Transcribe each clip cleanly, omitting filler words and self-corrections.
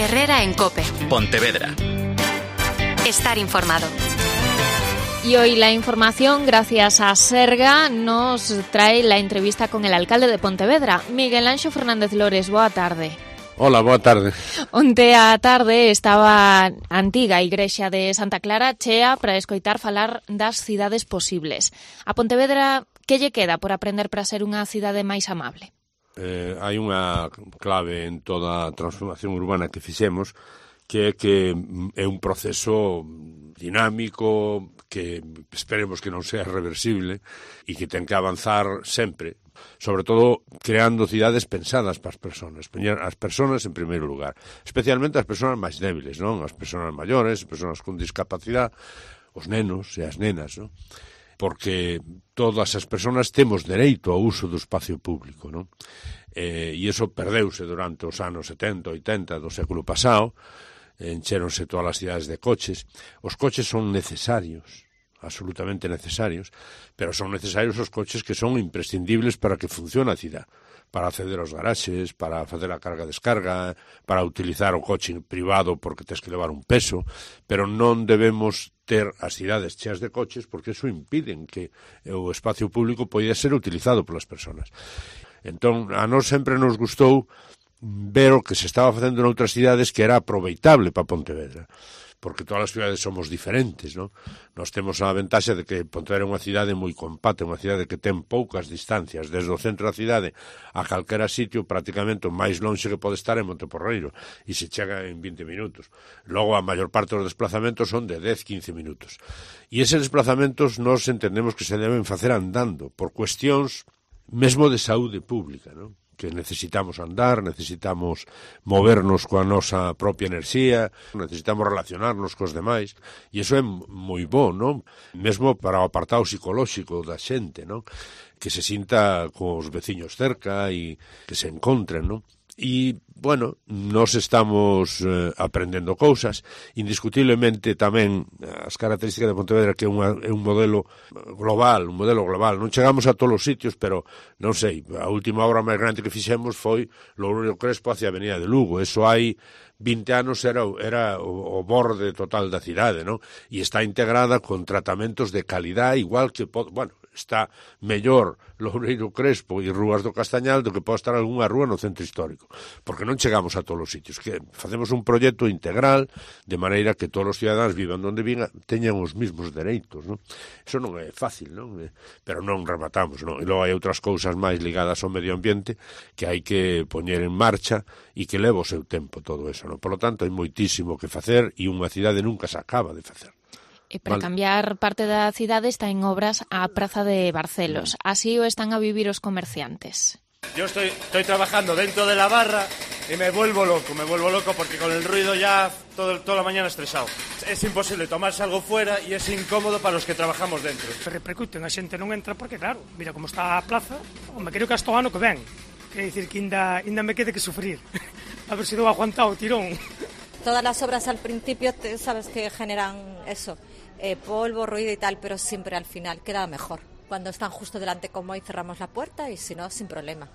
Herrera en COPE. Pontevedra. Estar informado. Y hoy la información, gracias a Serga, nos trae la entrevista con el alcalde de Pontevedra, Miguel Anxo Fernández Lores. Boa tarde. Hola, boa tarde. Onte á tarde estaba a antiga igrexa de Santa Clara chea para escoitar falar das cidades posibles. A Pontevedra, que lle queda por aprender para ser unha cidade máis amable? Hai unha clave en toda a transformación urbana que fixemos, que é un proceso dinámico, que esperemos que non sea reversible e que ten que avanzar sempre, sobre todo creando cidades pensadas para as persoas, poñer as persoas en primeiro lugar, especialmente as persoas máis débiles, non? As persoas maiores, as persoas con discapacidade, os nenos e as nenas, non? Porque todas as persoas temos dereito ao uso do espacio público, non? E iso perdeuse durante os anos 70, 80 do século pasado, encheronse todas as cidades de coches. Os coches son necesarios, absolutamente necesarios, pero son necesarios os coches que son imprescindibles para que funcione a cidade, para acceder aos garaxes, para facer a carga-descarga, para utilizar o coche privado porque tens que levar un peso, pero non debemos ter as cidades cheas de coches porque iso impiden que o espacio público poida ser utilizado polas persoas. Entón, a nós sempre nos gustou ver o que se estaba facendo noutras cidades que era aproveitable para Pontevedra, porque todas as cidades somos diferentes, non? Nós temos a ventaxa de que Pontevedra é unha cidade moi compacta, unha cidade que ten poucas distancias, desde o centro da cidade a calquera sitio, prácticamente o máis lonxe que pode estar en Monteporreiro, e se chega en 20 minutos. Logo, a maior parte dos desplazamentos son de 10-15 minutos. E eses desplazamentos nós entendemos que se deben facer andando, por cuestións mesmo de saúde pública, non? Que necesitamos andar, necesitamos movernos coa nosa propia enerxía, necesitamos relacionarnos cos demais, e iso é moi bo, non? Mesmo para o apartado psicolóxico da xente, non? Que se sinta cos veciños cerca e que se encontren, non? E, bueno, nós estamos aprendendo cousas, indiscutiblemente tamén as características de Pontevedra, que é un modelo global, non chegamos a todos os sitios, pero non sei, a última obra máis grande que fixemos foi Loureiro Crespo hacia a Avenida de Lugo, eso hai 20 anos era o borde total da cidade, non? E está integrada con tratamentos de calidad, igual que, bueno, está mellor Loureiro Crespo e Rúas do Castañal do que pode estar algunha rúa no centro histórico, porque non chegamos a todos os sitios, que facemos un proxecto integral de maneira que todos os cidadáns vivan onde vivan, teñan os mesmos dereitos, non? Eso non é fácil, non? Pero non rematamos, non? E logo hai outras cousas máis ligadas ao medio ambiente que hai que poñer en marcha e que leva o seu tempo todo eso, non? Por lo tanto, hai moitísimo que facer e unha cidade nunca se acaba de facer. E para cambiar parte da cidade está en obras a Praza de Barcelos. Así o están a vivir os comerciantes. Yo estoy trabajando dentro de la barra y me vuelvo loco porque con el ruido ya toda la mañana estresado. Es imposible tomarse algo fuera y es incómodo para los que trabajamos dentro. Repercuten, a xente non entra porque, claro, mira como está a plaza, me creo que hasta o ano que ven. Quer dicir que ainda me quede que sufrir. A ver se dou aguantado o tirón. Todas las obras al principio, sabes que generan eso, polvo, ruido y tal, pero siempre al final queda mejor. Cuando están justo delante como hoy cerramos la puerta y si no, sin problema.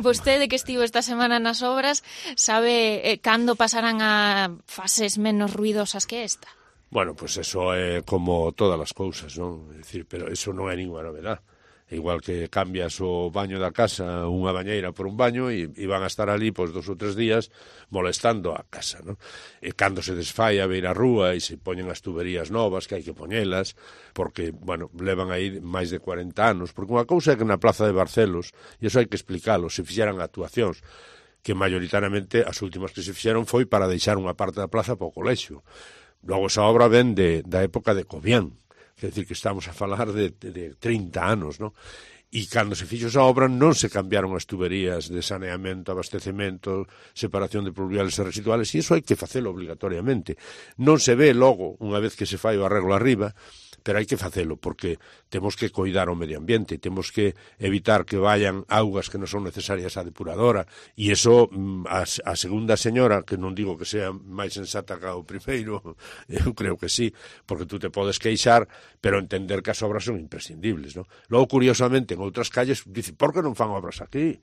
Vostede que estivo esta semana nas obras, sabe cando pasarán a fases menos ruidosas que esta? Bueno, pues eso é como todas as cousas, non? É dicir, pero eso non é ninguna novedade. Igual que cambias o baño da casa, unha bañeira por un baño, e van a estar ali pois 2 ou 3 días molestando a casa, non? E cando se desfai a beira rúa e se poñen as tuberías novas, que hai que poñelas, porque, bueno, levan aí máis de 40 anos, porque unha cousa é que na Plaza de Barcelos, e iso hai que explicalo, se fixeran actuacións, que maioritariamente as últimas que se fixeron foi para deixar unha parte da plaza para o colexio. Logo esa obra ven da época de Cobián, quer dizer que estamos a falar de 30 anos, non? E cando se fixo esa obra non se cambiaron as tuberías de saneamento, abastecemento, separación de pluviales e residuales, e iso hai que facelo obligatoriamente. Non se ve logo, unha vez que se fai o arreglo arriba, pero hai que facelo, porque temos que coidar o medio ambiente, temos que evitar que vayan augas que non son necesarias á depuradora, e iso a segunda señora, que non digo que sea máis sensata que o primeiro, eu creo que sí, porque tú te podes queixar, pero entender que as obras son imprescindibles, non? Logo, curiosamente, en outras calles, dice, por que non fan obras aquí?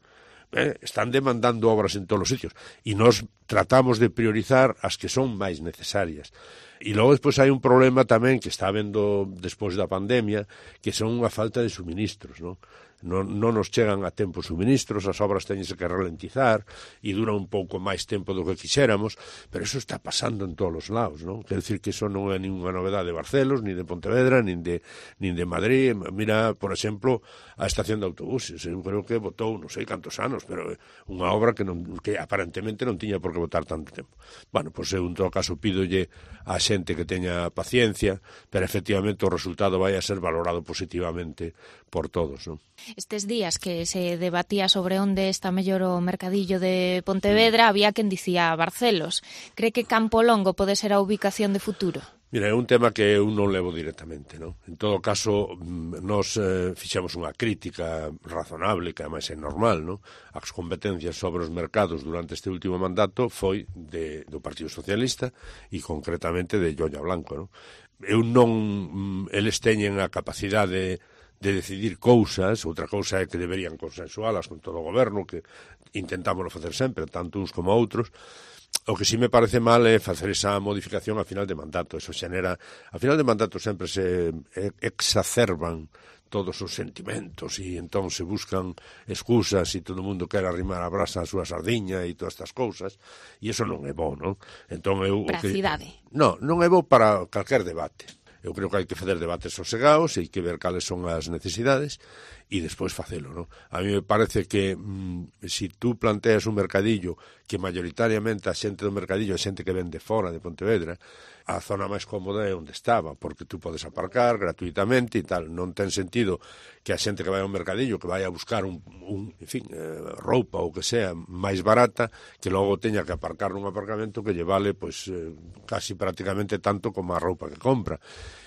Están demandando obras en todos os sitios, e nós tratamos de priorizar as que son máis necesarias. E logo despois hai un problema tamén que está habendo despois da pandemia, que son unha falta de suministros, non? Non nos chegan a tempo suministros, as obras teñense que ralentizar e dura un pouco máis tempo do que quixéramos, pero eso está pasando en todos os lados, non? Quer decir que eso non é ninguna novedade de Barcelos, ni de Pontevedra, nin de Madrid. Mira, por exemplo, a estación de autobuses. Eu creo que botou non sei cantos anos, pero unha obra que aparentemente non tiña por que botar tanto tempo. Bueno, pois eu en todo caso pídolle a xente que teña paciencia, pero efectivamente o resultado vai a ser valorado positivamente por todos, non? Estes días que se debatía sobre onde está mellor o mercadillo de Pontevedra, había quen dicía Barcelos. Cree que Campo Longo pode ser a ubicación de futuro? Mira, é un tema que eu non levo directamente, non? En todo caso, nos fixemos unha crítica razonable, que ademais é normal, non? As competencias sobre os mercados durante este último mandato foi do Partido Socialista e concretamente de Llolla Blanco, non? Eles teñen a capacidade de decidir cousas, outra cousa é que deberían consensualas con todo o goberno, que intentámoslo facer sempre, tanto uns como outros. O que sí me parece mal é facer esa modificación a final de mandato. Eso xenera, a final de mandato sempre se exacerban todos os sentimentos e entón se buscan excusas e todo o mundo quere arrimar a brasa a súa sardiña e todas estas cousas, e iso non é bo, non? Entón para a cidade. Non é bo para calquer debate. Eu creo que hai que fazer debates sosegados e hai que ver cales son as necesidades e despois facelo, non? A mí me parece que se tú planteas un mercadillo que mayoritariamente a xente do mercadillo é xente que vende fora de Pontevedra, a zona máis cómoda é onde estaba, porque tú podes aparcar gratuitamente e tal. Non ten sentido que a xente que vai ao mercadillo, que vai a buscar roupa ou que sea máis barata, que logo teña que aparcar nun aparcamento que lle vale casi prácticamente tanto como a roupa que compra.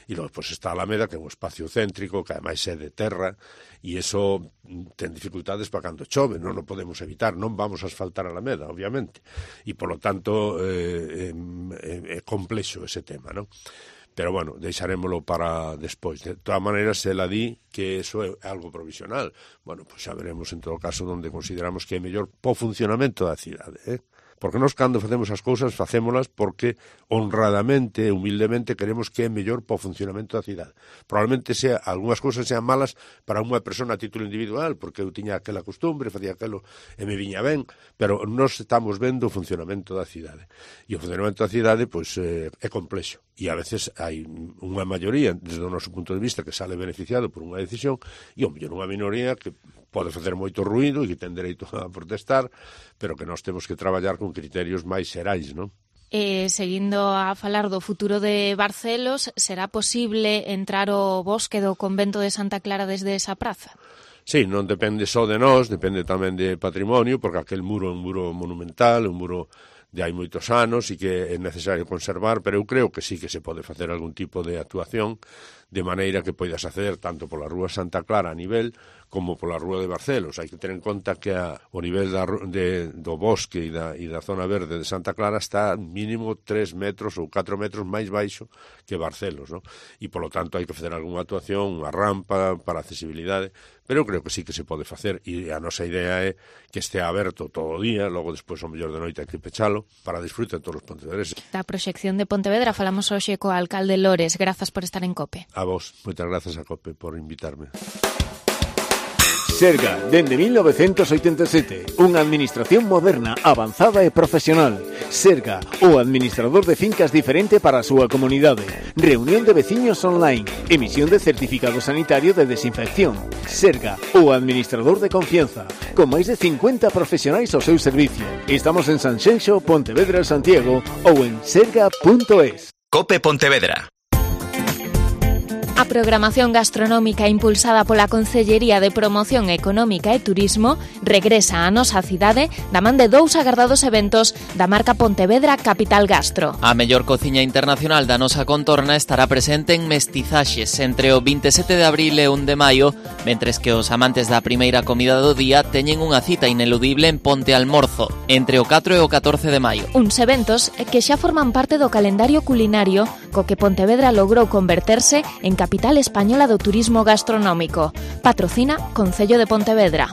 E logo está a Alameda, que é un espacio céntrico, que ademais é de terra, e iso ten dificultades para cando chove, non o podemos evitar, non vamos a asfaltar a Alameda, obviamente, e polo tanto é complexo ese tema, non? Pero bueno, deixarémolo para despois. De todas maneiras, ela di que eso é algo provisional. Bueno, pois xa veremos en todo caso onde consideramos que é mellor po funcionamento da cidade, Porque nós, cando facemos as cousas, facémolas porque honradamente, humildemente, queremos que é mellor para o funcionamento da cidade. Probablemente algunhas cousas sean malas para unha persona a título individual, porque eu tiña aquela costumbre, facía aquelo e me viña ben, pero nós estamos vendo o funcionamento da cidade. E o funcionamento da cidade, pois, é complexo. E a veces hai unha maioría, desde o noso punto de vista, que sale beneficiado por unha decisión, e o mellor unha minoría que pode facer moito ruído e que ten dereito a protestar, pero que nós temos que traballar con criterios máis xerais, non? Seguindo a falar do futuro de Barcelos, será posible entrar ao bosque do convento de Santa Clara desde esa praza? Sí, non depende só de nós, depende tamén de patrimonio, porque aquel muro é un muro monumental, un muro de hai moitos anos e que é necesario conservar, pero eu creo que sí que se pode facer algún tipo de actuación de maneira que poidas acceder tanto pola Rúa Santa Clara a nivel como pola Rúa de Barcelos. Hai que ter en conta que o nivel do bosque e da zona verde de Santa Clara está mínimo 3 metros ou 4 metros máis baixo que Barcelos, non? E, polo tanto, hai que facer algunha actuación, unha rampa para accesibilidade, pero eu creo que sí que se pode facer e a nosa idea é que estea aberto todo o día, logo despois ao mellor de noite hai que pechalo para disfrute de todos os pontevedreses. Da proxección de Pontevedra falamos hoxe co alcalde Lores. Grazas por estar en COPE. A vos, moitas grazas a COPE por invitarme. Serga, dende 1987, unha administración moderna, avanzada e profesional. Serga, o administrador de fincas diferente para a súa comunidade. Reunión de veciños online, emisión de certificado sanitario de desinfección. Serga, o administrador de confianza, con máis de 50 profesionais ao seu servicio. Estamos en Sanxenxo, Pontevedra, Santiago ou en serga.es. COPE Pontevedra. A programación gastronómica impulsada pola Concellería de Promoción Económica e Turismo regresa á nosa cidade da man de 2 agardados eventos da marca Pontevedra Capital Gastro. A mellor cociña internacional da nosa contorna estará presente en Mestizaxes entre o 27 de abril e 1 de maio, mentres que os amantes da primeira comida do día teñen unha cita ineludible en Ponte Almorzo, entre o 4 e o 14 de maio. Uns eventos que xa forman parte do calendario culinario co que Pontevedra logrou converterse en capital española do turismo gastronómico. Patrocina Concello de Pontevedra.